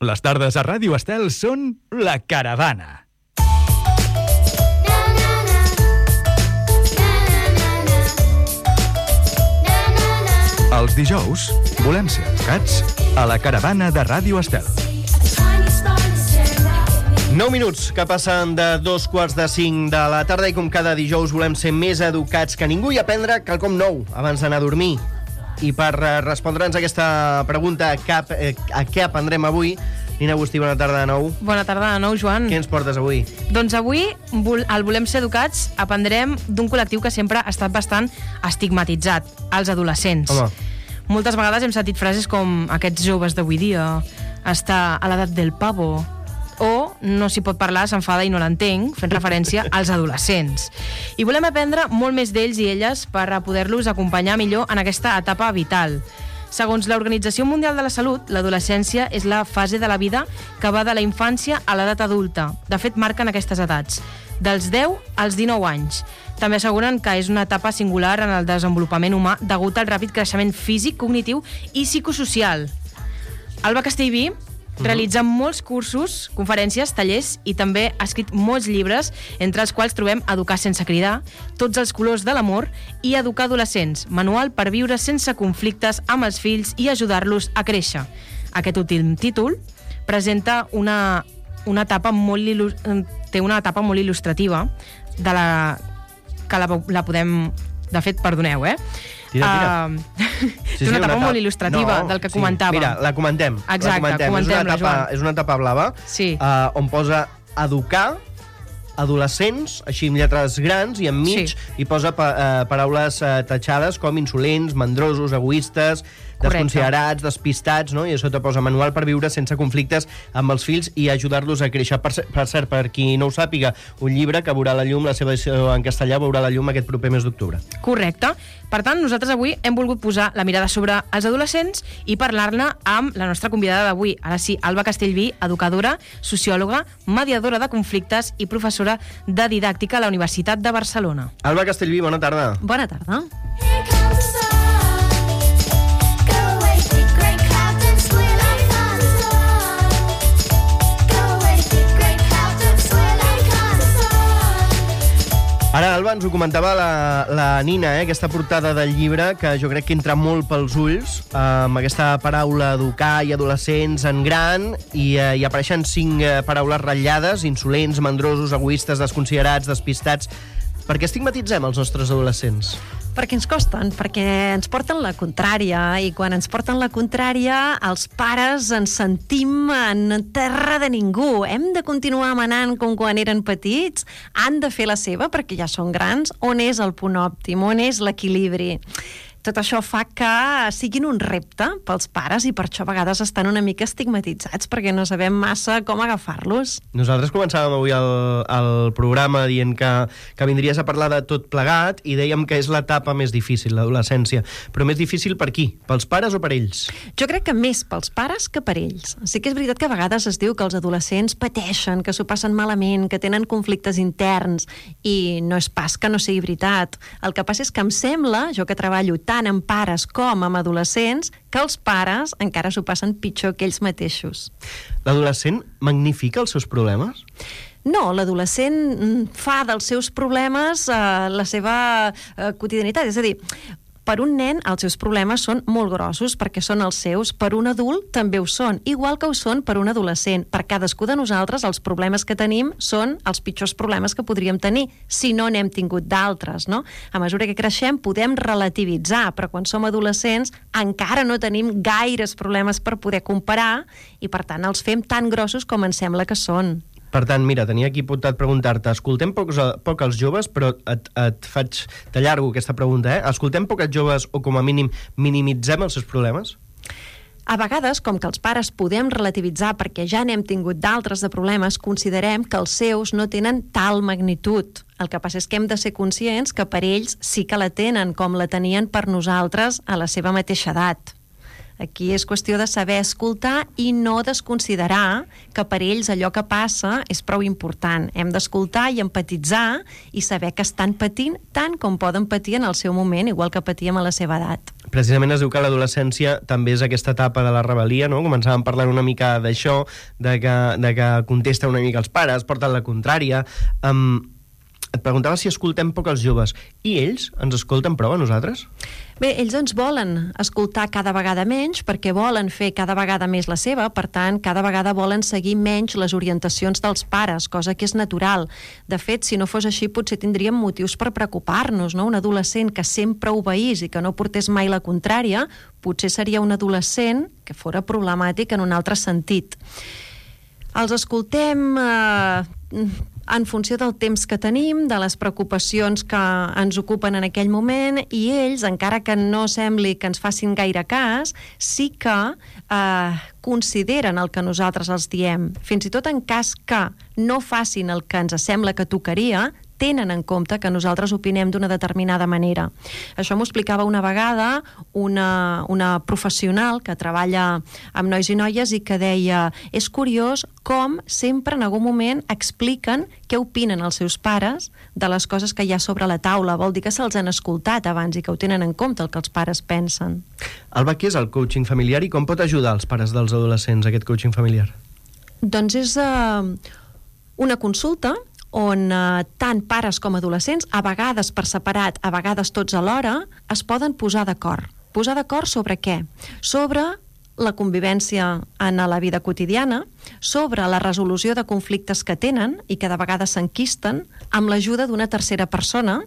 Les tardes a Ràdio Estel són La Caravana. Els dijous volem ser educats a La Caravana de Ràdio Estel. 9 minuts que passen de 2:45 de la tarda i com cada dijous volem ser més educats que ningú i aprendre quelcom nou abans d'anar a dormir. I per respondre'ns a aquesta pregunta, a què aprendrem avui, Nina Agustí, bona tarda de nou. Bona tarda de nou, Joan. Què ens portes avui? Doncs avui, al Volem ser educats, aprendrem d'un col·lectiu que sempre ha estat bastant estigmatitzat, els adolescents. Home. Moltes vegades hem sentit frases com aquests joves d'avui dia, està a l'edat del pavo, o no s'hi pot parlar, s'enfada i no l'entenc, fent referència als adolescents. I volem aprendre molt més d'ells i elles per a poder-los acompanyar millor en aquesta etapa vital. Segons l'Organització Mundial de la Salut, l'adolescència és la fase de la vida que va de la infància a l'edat adulta. De fet, marquen aquestes edats, dels 10 als 19 anys. També asseguren que és una etapa singular en el desenvolupament humà degut al ràpid creixement físic, cognitiu i psicosocial. Alba Castellví realitza molts cursos, conferències, tallers i també ha escrit molts llibres, entre els quals trobem Educar sense cridar, Tots els colors de l'amor i Educar adolescents, manual per viure sense conflictes amb els fills i ajudar-los a créixer. Aquest últim títol presenta una etapa molt il·lustrativa de la que la podem... De fet, perdoneu, Tira. És una etapa molt il·lustrativa del que comentàvem. Mira, la comentem. Exacte, comentem-la, Joan. És una etapa blava, sí. On posa educar adolescents, així amb lletres grans, i enmig hi posa paraules tatxades com insolents, mandrosos, egoistes, desconsiderats, despistats, no? I a sota posa manual per viure sense conflictes amb els fills i ajudar-los a créixer. Per cert, per qui no ho sàpiga, un llibre que veurà la llum, la seva edició en castellà veurà la llum aquest proper mes d'octubre. Correcte. Per tant, nosaltres avui hem volgut posar la mirada sobre els adolescents i parlar-ne amb la nostra convidada d'avui. Ara sí, Alba Castellví, educadora, sociòloga, mediadora de conflictes i professora de didàctica a la Universitat de Barcelona. Alba Castellví, bona tarda. Bona tarda. Ara, Alba, ens ho comentava la Nina, aquesta portada del llibre, que jo crec que entra molt pels ulls, amb aquesta paraula educar i adolescents en gran, i apareixen 5 paraules ratllades, insolents, mandrosos, egoistes, desconsiderats, despistats. Per què estigmatitzem els nostres adolescents? Perquè ens costen, perquè ens porten la contrària, i quan ens porten la contrària, els pares ens sentim en terra de ningú. Hem de continuar manant com quan eren petits, han de fer la seva perquè ja són grans. On és el punt òptim? On és l'equilibri? Tot això fa que siguin un repte pels pares i per això a vegades estan una mica estigmatitzats perquè no sabem massa com agafar-los. Nosaltres començàvem avui el programa dient que vindries a parlar de tot plegat i dèiem que és l'etapa més difícil, l'adolescència. Però més difícil per qui? Pels pares o per ells? Jo crec que més pels pares que per ells. Sí que és veritat que a vegades es diu que els adolescents pateixen, que s'ho passen malament, que tenen conflictes interns, i no és pas que no sigui veritat. El que passa és que em sembla, jo que treballo tant amb pares com amb adolescents, que els pares encara s'ho passen pitjor que ells mateixos. L'adolescent magnifica els seus problemes? No, l'adolescent fa dels seus problemes la seva quotidianitat. És a dir, per un nen els seus problemes són molt grossos perquè són els seus, per un adult també ho són, igual que ho són per un adolescent. Per cadascú de nosaltres els problemes que tenim són els pitjors problemes que podríem tenir si no n'hem tingut d'altres, no? A mesura que creixem podem relativitzar, però quan som adolescents encara no tenim gaires problemes per poder comparar i per tant els fem tan grossos com ens sembla que són. Per tant, mira, tenia aquí apuntat preguntar-te, escoltem poc els joves, però t'allargo aquesta pregunta, escoltem poc els joves o com a mínim minimitzem els seus problemes? A vegades, com que els pares podem relativitzar perquè ja n'hem tingut d'altres de problemes, considerem que els seus no tenen tal magnitud. El que passa és que hem de ser conscients que per ells sí que la tenen, com la tenien per nosaltres a la seva mateixa edat. Aquí és qüestió de saber escoltar i no desconsiderar que per ells allò que passa és prou important. Hem d'escoltar i empatitzar i saber que estan patint tant com poden patir en el seu moment, igual que patíem a la seva edat. Precisament es diu que l'adolescència també és aquesta etapa de la rebel·lia, no? Començàvem parlant una mica d'això, de que contesta una mica els pares, porten la contrària. Et preguntava si escoltem poc els joves. I ells ens escolten prou a nosaltres? Bé, ells ens volen escoltar cada vegada menys perquè volen fer cada vegada més la seva, per tant, cada vegada volen seguir menys les orientacions dels pares, cosa que és natural. De fet, si no fos així, potser tindríem motius per preocupar-nos, no? Un adolescent que sempre obeís i que no portés mai la contrària, potser seria un adolescent que fora problemàtic en un altre sentit. Els escoltem en funció del temps que tenim, de les preocupacions que ens ocupen en aquell moment, i ells, encara que no sembli que ens facin gaire cas, sí que consideren el que nosaltres els diem. Fins i tot en cas que no facin el que ens sembla que tocaria, tenen en compte que nosaltres opinem d'una determinada manera. Això m'ho explicava una vegada una professional que treballa amb nois i noies i que deia: és curiós com sempre en algun moment expliquen què opinen els seus pares de les coses que hi ha sobre la taula. Vol dir que se'ls han escoltat abans i que ho tenen en compte el que els pares pensen. Alba, què és el coaching familiar i com pot ajudar els pares dels adolescents aquest coaching familiar? Doncs és una consulta on tant pares com adolescents, a vegades per separat, a vegades tots alhora, es poden posar d'acord. Posar d'acord sobre què? Sobre la convivència en la vida quotidiana, sobre la resolució de conflictes que tenen i que de vegades s'enquisten, amb l'ajuda d'una tercera persona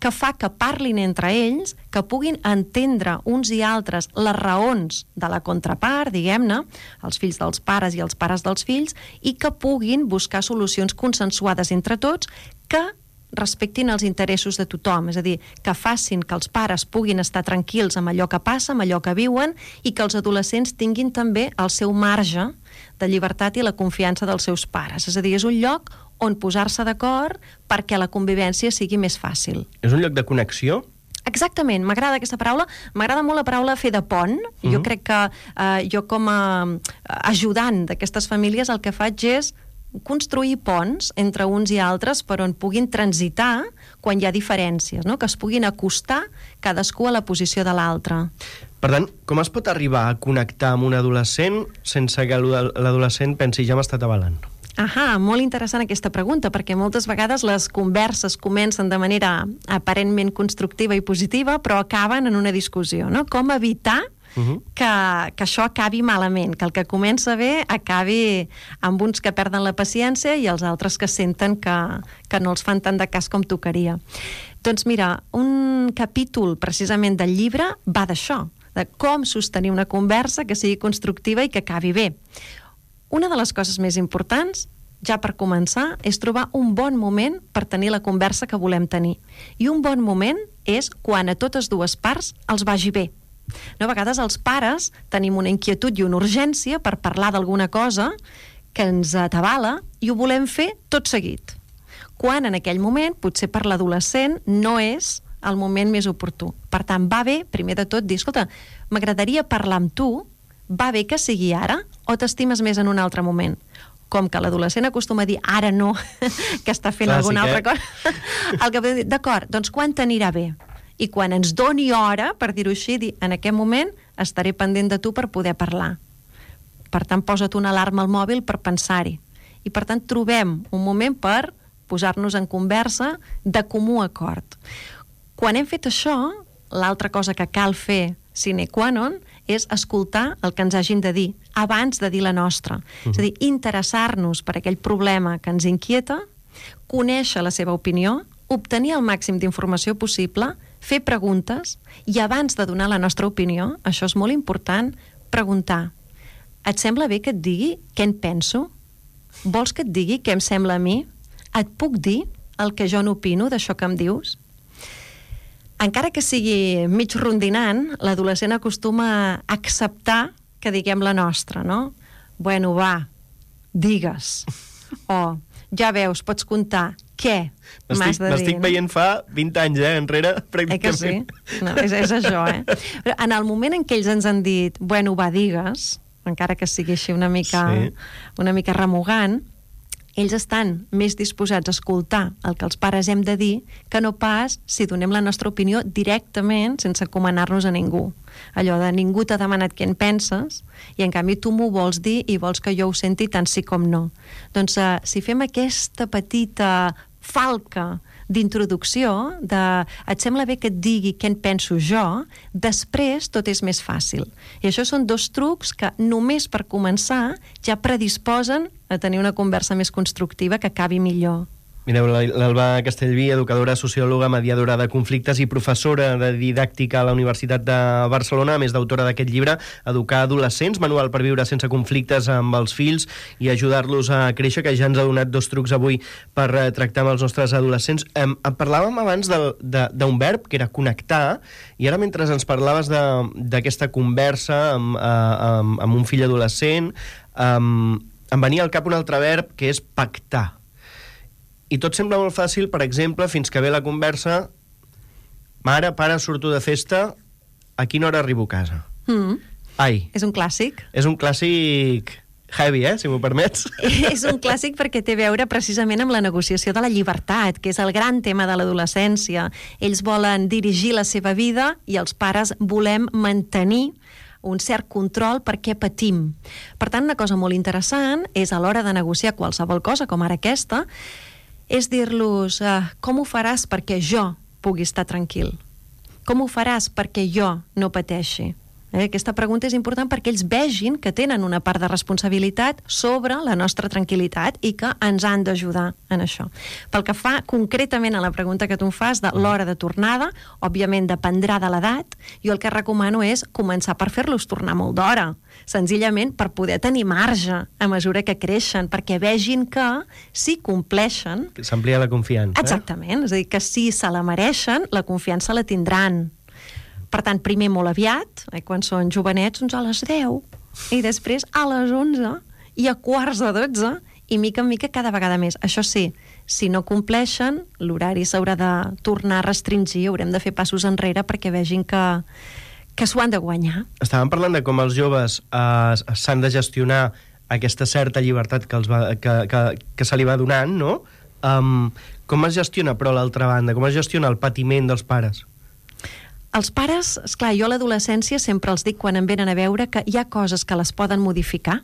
que fa que parlin entre ells, que puguin entendre uns i altres les raons de la contrapart, diguem-ne, els fills dels pares i els pares dels fills, i que puguin buscar solucions consensuades entre tots que respectin els interessos de tothom, és a dir, que facin que els pares puguin estar tranquils amb allò que passa, amb allò que viuen, i que els adolescents tinguin també el seu marge de llibertat i la confiança dels seus pares. És a dir, és un lloc on posar-se d'acord perquè la convivència sigui més fàcil. És un lloc de connexió? Exactament, m'agrada aquesta paraula, m'agrada molt la paraula fer de pont. Jo crec que jo com a ajudant d'aquestes famílies el que faig és construir ponts entre uns i altres per on puguin transitar quan hi ha diferències, no? Que es puguin acostar cadascú a la posició de l'altre. Per tant, com es pot arribar a connectar amb un adolescent sense que l'adolescent pensi ja m'ha estat avalant? Molt interessant aquesta pregunta, perquè moltes vegades les converses comencen de manera aparentment constructiva i positiva, però acaben en una discussió, no? Com evitar que això acabi malament, que el que comença bé acabi amb uns que perden la paciència i els altres que senten que no els fan tant de cas com tocaria. Doncs mira, un capítol precisament del llibre va d'això, de com sostenir una conversa que sigui constructiva i que acabi bé. Una de les coses més importants, ja per començar, és trobar un bon moment per tenir la conversa que volem tenir. I un bon moment és quan a totes dues parts els vagi bé. No, a vegades els pares tenim una inquietud i una urgència per parlar d'alguna cosa que ens atabala i ho volem fer tot seguit. Quan en aquell moment, potser per l'adolescent, no és el moment més oportú. Per tant, va bé, primer de tot, dir, escolta, m'agradaria parlar amb tu, va bé que sigui ara o t'estimes més en un altre moment? Com que l'adolescent acostuma a dir ara no, que està fent alguna altra cosa, el que podem dir, d'acord, doncs quan t'anirà bé? I quan ens doni hora, per dir-ho així, dir, en aquest moment estaré pendent de tu per poder parlar. Per tant, posa't una alarma al mòbil per pensar-hi. I per tant, trobem un moment per posar-nos en conversa de comú acord. Quan hem fet això, l'altra cosa que cal fer sine qua non és escoltar el que ens hagin de dir abans de dir la nostra. És a dir, interessar-nos per aquell problema que ens inquieta, conèixer la seva opinió, obtenir el màxim d'informació possible, fer preguntes i abans de donar la nostra opinió, això és molt important, preguntar: et sembla bé que et digui què en penso? Vols que et digui què em sembla a mi? Et puc dir el que jo n'opino d'això que em dius? Encara que sigui mig rondinant, l'adolescent acostuma a acceptar que diguem la nostra, no? Bueno, va, digues. O, ja veus, pots comptar, què m'has de dir? M'estic veient fa 20 anys, enrere, pràcticament. Que sí? No, és això, Però en el moment en què ells ens han dit, bueno, va, digues, encara que sigui així una mica remugant, ells estan més disposats a escoltar el que els pares hem de dir que no pas si donem la nostra opinió directament sense encomanar-nos a ningú. Allò de ningú t'ha demanat què en penses i en canvi tu m'ho vols dir i vols que jo ho senti tant sí com no. Doncs si fem aquesta petita falca d'introducció, et sembla bé que et digui què en penso jo, després tot és més fàcil. I això són 2 trucs que només per començar ja predisposen a tenir una conversa més constructiva que acabi millor. Mireu, l'Alba Castellví, educadora, sociòloga, mediadora de conflictes i professora de didàctica a la Universitat de Barcelona, a més d'autora d'aquest llibre, Educar adolescents, manual per viure sense conflictes amb els fills i ajudar-los a créixer, que ja ens ha donat 2 trucs avui per tractar amb els nostres adolescents. Parlàvem abans d'un verb, que era connectar, i ara mentre ens parlaves d'aquesta conversa amb un fill adolescent, em venia al cap un altre verb, que és pactar. I tot sembla molt fàcil, per exemple, fins que ve la conversa, mare, pare, surto de festa, a quina hora arribo a casa? Ai. És un clàssic. És un clàssic heavy, si m'ho permets. És un clàssic perquè té a veure precisament amb la negociació de la llibertat, que és el gran tema de l'adolescència. Ells volen dirigir la seva vida i els pares volem mantenir un cert control perquè patim. Per tant, una cosa molt interessant és a l'hora de negociar qualsevol cosa, com ara aquesta, és dir-los com ho faràs perquè jo pugui estar tranquil? Com ho faràs perquè jo no pateixi? Aquesta pregunta és important perquè ells vegin que tenen una part de responsabilitat sobre la nostra tranquil·litat i que ens han d'ajudar en això. Pel que fa concretament a la pregunta que tu em fas de l'hora de tornada, òbviament dependrà de l'edat, jo el que recomano és començar per fer-los tornar molt d'hora, senzillament per poder tenir marge a mesura que creixen, perquè vegin que si compleixen... S'amplia la confiança. Exactament, és a dir, que si se la mereixen, la confiança la tindran. Per tant, primer molt aviat, quan són jovenets, doncs a les 10, i després a les 11, i a 11:45, i mica en mica cada vegada més. Això sí, si no compleixen, l'horari s'haurà de tornar a restringir, haurem de fer passos enrere perquè vegin que s'ho han de guanyar. Estàvem parlant de com els joves s'han de gestionar aquesta certa llibertat que se li va donant, no? Com es gestiona, però, l'altra banda? Com es gestiona el patiment dels pares? Els pares, esclar, jo a l'adolescència sempre els dic quan em venen a veure que hi ha coses que les poden modificar,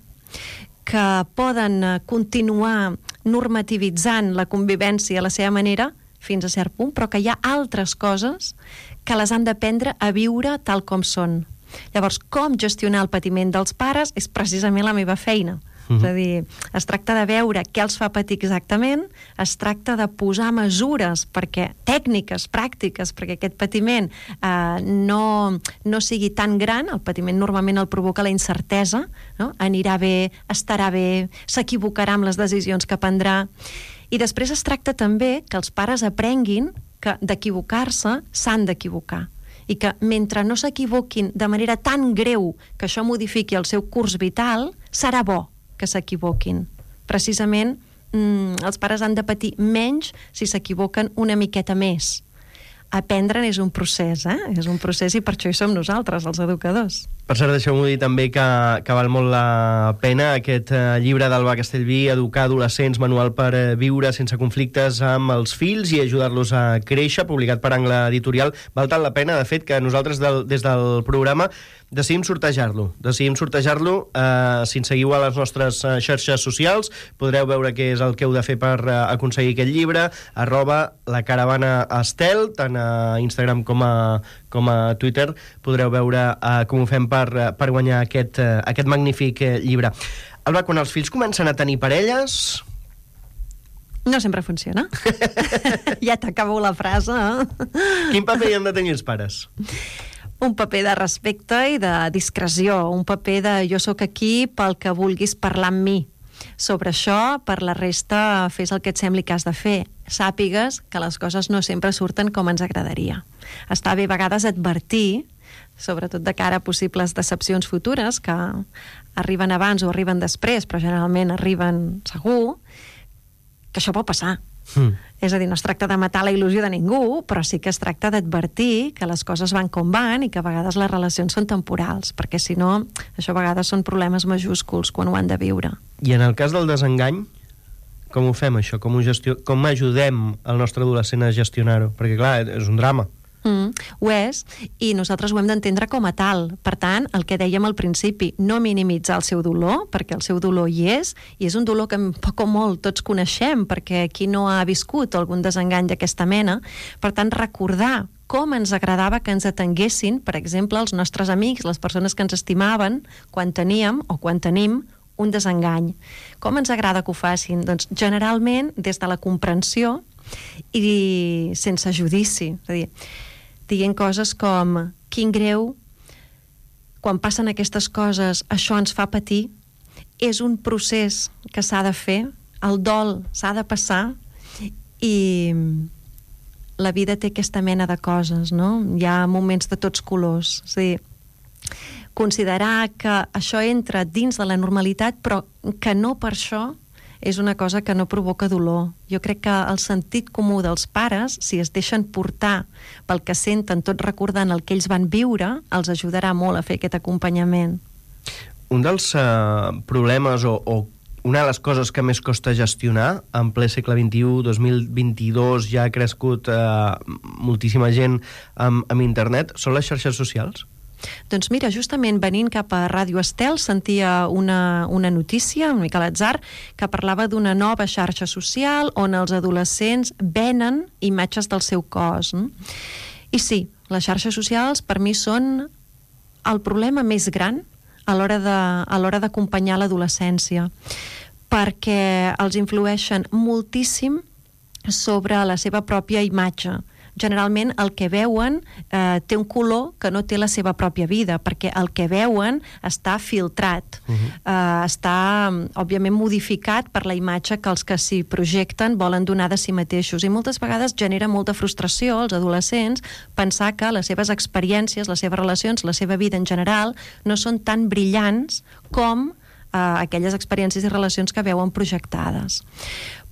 que poden continuar normativitzant la convivència a la seva manera fins a cert punt, però que hi ha altres coses que les han d'aprendre a viure tal com són. Llavors, com gestionar el patiment dels pares és precisament la meva feina. És a dir, es tracta de veure què els fa patir exactament, es tracta de posar mesures tècniques, pràctiques, perquè aquest patiment no sigui tan gran. El patiment normalment el provoca la incertesa, no? Anirà bé, estarà bé, s'equivocarà amb les decisions que prendrà. I després es tracta també que els pares aprenguin que d'equivocar-se s'han d'equivocar i que mentre no s'equivoquin de manera tan greu que això modifiqui el seu curs vital, serà bo que s'equivoquin. Precisament, els pares han de patir menys si s'equivoquen una miqueta més. Aprendre'n és un procés, És un procés i per això hi som nosaltres, els educadors. Per cert, deixeu-m'ho dir també que val molt la pena aquest llibre d'Alba Castellví, Educar adolescents, manual per viure sense conflictes amb els fills i ajudar-los a créixer, publicat per Angle Editorial. Val tant la pena, de fet, que nosaltres des del programa decidim sortejar-lo. Si ens seguiu a les nostres xarxes socials, podreu veure què és el que heu de fer per aconseguir aquest llibre, @lacaravanastel, tant a Instagram com a Twitter, podreu veure com ho fem per guanyar aquest magnífic llibre. Alba, quan els fills comencen a tenir parelles... No sempre funciona. Ja t'acabo la frase, Quin paper hi han de tenir els pares? Un paper de respecte i de discreció, un paper de jo sóc aquí pel que vulguis parlar amb mi. Sobre això, per la resta, fes el que et sembli que has de fer. Sàpigues que les coses no sempre surten com ens agradaria. Està bé a vegades advertir, sobretot de cara a possibles decepcions futures, que arriben abans o arriben després, però generalment arriben segur, que això pot passar És a dir, no es tracta de matar la il·lusió de ningú, però sí que es tracta d'advertir que les coses van com van i que a vegades les relacions són temporals, perquè si no, això a vegades són problemes majúsculs quan ho han de viure. I en el cas del desengany, com ho fem, això? Com ajudem el nostre adolescent a gestionar-ho? Perquè, clar, és un drama. Ho és, i nosaltres ho hem d'entendre com a tal. Per tant, el que dèiem al principi, no minimitzar el seu dolor, perquè el seu dolor hi és, i és un dolor que poc o molt tots coneixem, perquè qui no ha viscut algun desengany d'aquesta mena. Per tant, recordar com ens agradava que ens atenguessin, per exemple, els nostres amics, les persones que ens estimaven, quan teníem o quan tenim un desengany. Com ens agrada que ho facin? Doncs generalment des de la comprensió i sense judici. És a dir, dient coses com quin greu, quan passen aquestes coses això ens fa patir, és un procés que s'ha de fer, el dol s'ha de passar i la vida té aquesta mena de coses, no? Hi ha moments de tots colors. És a dir, considerar que això entra dins de la normalitat però que no per això és una cosa que no provoca dolor. Jo crec que el sentit comú dels pares, si es deixen portar pel que senten, tot recordant el que ells van viure, els ajudarà molt a fer aquest acompanyament. Un dels problemes o una de les coses que més costa gestionar en ple segle XXI, 2022, ja ha crescut moltíssima gent amb internet, són les xarxes socials? Doncs mira, justament venint cap a Ràdio Estel sentia una notícia, una mica a l'atzar, que parlava d'una nova xarxa social on els adolescents venen imatges del seu cos. I sí, les xarxes socials per mi són el problema més gran a l'hora d'acompanyar l'adolescència, perquè els influeixen moltíssim sobre la seva pròpia imatge. Generalment el que veuen té un color que no té la seva pròpia vida, perquè el que veuen està filtrat, està òbviament modificat per la imatge que els que s'hi projecten volen donar de si mateixos, i moltes vegades genera molta frustració als adolescents pensar que les seves experiències, les seves relacions, la seva vida en general no són tan brillants com aquelles experiències i relacions que veuen projectades.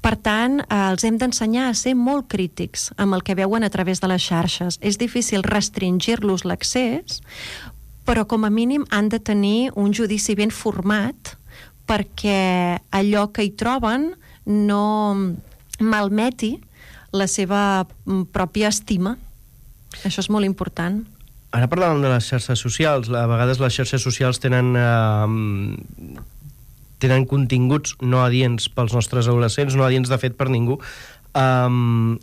Per tant, els hem d'ensenyar a ser molt crítics amb el que veuen a través de les xarxes. És difícil restringir-los l'accés, però com a mínim han de tenir un judici ben format perquè allò que hi troben no malmeti la seva pròpia estima. Això és molt important. Ara parlàvem de les xarxes socials. A vegades les xarxes socials tenen continguts no adients pels nostres adolescents, no adients de fet per ningú,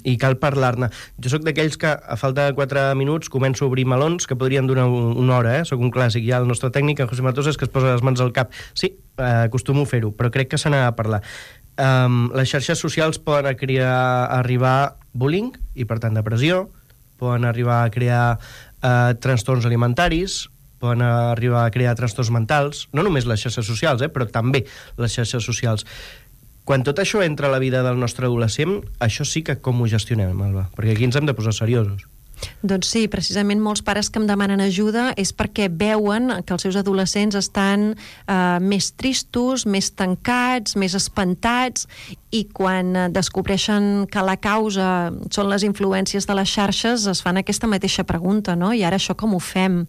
i cal parlar-ne. Jo sóc d'aquells que a falta de 4 minuts començo a obrir melons que podrien durar una hora, Sóc un clàssic. Ja el nostre tècnic, en José Matosas, que es posa les mans al cap. Sí, acostumo a fer-ho, però crec que se n'ha de parlar. Les xarxes socials poden arribar a bullying i, per tant, depressió, poden arribar a crear trastorns alimentaris, poden arribar a crear trastorns mentals, no només les xarxes socials, però també les xarxes socials. Quan tot això entra a la vida del nostre adolescent, això sí que com ho gestionem, Alba? Perquè aquí ens hem de posar seriosos. Doncs sí, precisament molts pares que em demanen ajuda és perquè veuen que els seus adolescents estan més tristos, més tancats, més espantats, i quan descobreixen que la causa són les influències de les xarxes es fan aquesta mateixa pregunta, no? I ara això com ho fem?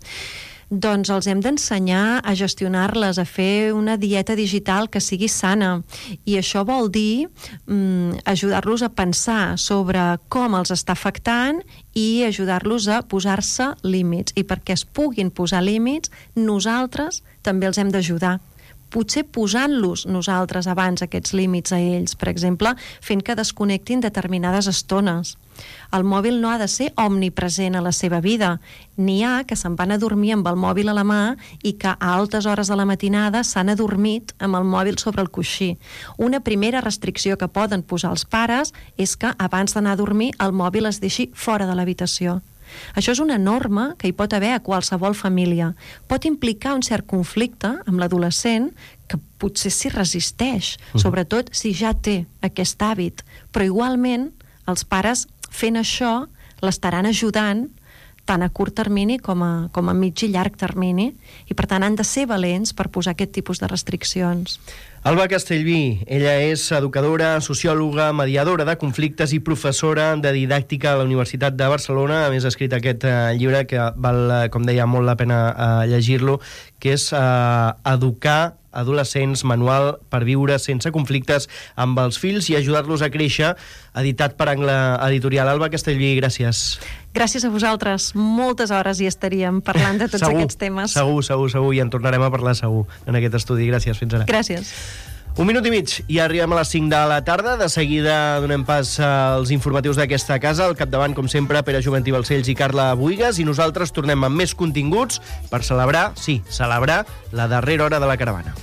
Doncs els hem d'ensenyar a gestionar-les, a fer una dieta digital que sigui sana. I això vol dir ajudar-los a pensar sobre com els està afectant i ajudar-los a posar-se límits. I perquè es puguin posar límits, nosaltres també els hem d'ajudar. Potser posant-los nosaltres abans aquests límits a ells, per exemple, fent que desconnectin determinades estones. El mòbil no ha de ser omnipresent a la seva vida. N'hi ha que se'n van a dormir amb el mòbil a la mà i que a altes hores de la matinada s'han adormit amb el mòbil sobre el coixí. Una primera restricció que poden posar els pares és que abans d'anar a dormir el mòbil es deixi fora de l'habitació. Això és una norma que hi pot haver a qualsevol família. Pot implicar un cert conflicte amb l'adolescent que potser s'hi resisteix, sobretot si ja té aquest hàbit. Però igualment els pares fent això l'estaran ajudant tant a curt termini com a mig i llarg termini, i per tant han de ser valents per posar aquest tipus de restriccions. Alba Castellví, ella és educadora, sociòloga, mediadora de conflictes i professora de didàctica a la Universitat de Barcelona. A més, ha escrit aquest llibre que val, com deia, molt la pena llegir-lo, que és Educar adolescents, manual per viure sense conflictes amb els fills i ajudar-los a créixer, editat per Angle Editorial. Alba Castellví, gràcies. Gràcies a vosaltres. Moltes hores hi estaríem parlant de tots aquests temes. Segur, i en tornarem a parlar segur en aquest estudi. Gràcies, fins ara. Gràcies. 1 minut i mig i arribem a les 5 de la tarda. De seguida donem pas als informatius d'aquesta casa. Al capdavant, com sempre, Pere Juventí Balcells i Carla Buigas, i nosaltres tornem amb més continguts per celebrar la darrera hora de la caravana.